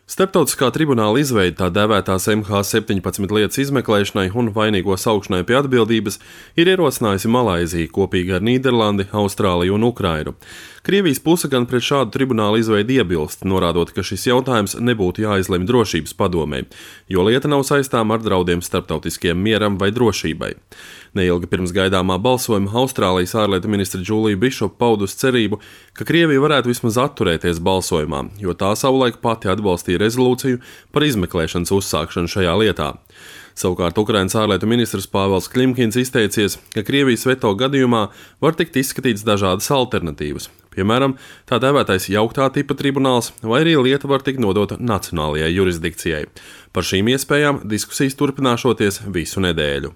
Starptautiskā tribunāla izveide tā dēvētās MH17 lietas izmeklēšanai un vainīgo saukšanai pie atbildības ir ierosinājusi Malaiziju kopīgi ar Nīderlandi, Austrāliju un Ukrainu. Krievijas puse gan pret šādu tribunāla izveidi iebilst, norādot, ka šis jautājums nebūtu jāizlemj drošības padomē, jo lieta nav saistām ar draudiem starptautiskajam mieram vai drošībai. Neilgi pirms gaidāmā balsojuma Austrālijas ārlietu ministre Džulija Bišopa paudusi cerību, ka Krievija varētu vismaz atturēties balsojumā, jo tā savulaik pati atbalstīja rezolūciju par izmeklēšanas uzsākšanu šajā lietā. Savukārt Ukrainas ārlietu ministrs Pāvels Klimkins izteicies, ka Krievijas veto gadījumā var tikt izskatīts dažādas alternatīvas. Piemēram, tā dēvētais jauktā tipa tribunāls, vai arī lieta var tikt nodota nacionālajai jurisdikcijai. Par šīm iespējām diskusijas turpināšoties visu nedēļu.